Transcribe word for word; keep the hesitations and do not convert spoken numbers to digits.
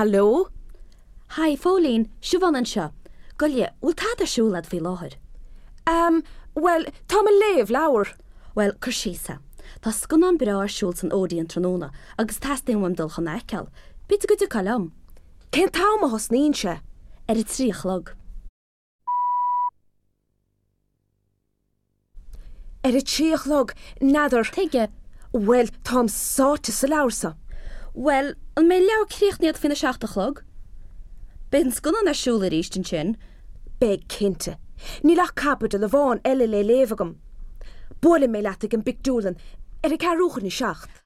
Hello? Hi, Phóilín, Siobhán anseo. Gabh i leith, bhfuil tada ar siúl agat faoi láthair. Um, well, tá mé ag léamh leabhar. Well, cur síos é. Tá scannán breá ar siúl san Odeon tráthnóna agus teastaíonn uaim dul chun é a fheiceáil. B'fhéidir go dtiocfá liom. Cén t-am a thosnaíonn sé? Ar a trí a chlog. Ar a trí a chlog, n'fheadar. Tuige? Well, táim sáite sa leabhar seo. Well, an mbeidh an leabhar críochnaithe agat faoina seacht a chlog? Beidh an scannán ar siúl arís ansin. Beidh cinnte. Níl ach caibidil amháin eile le léamh agam. Buailfidh mé leat ag an bpictiúrlann ar a ceathrú chun a seacht.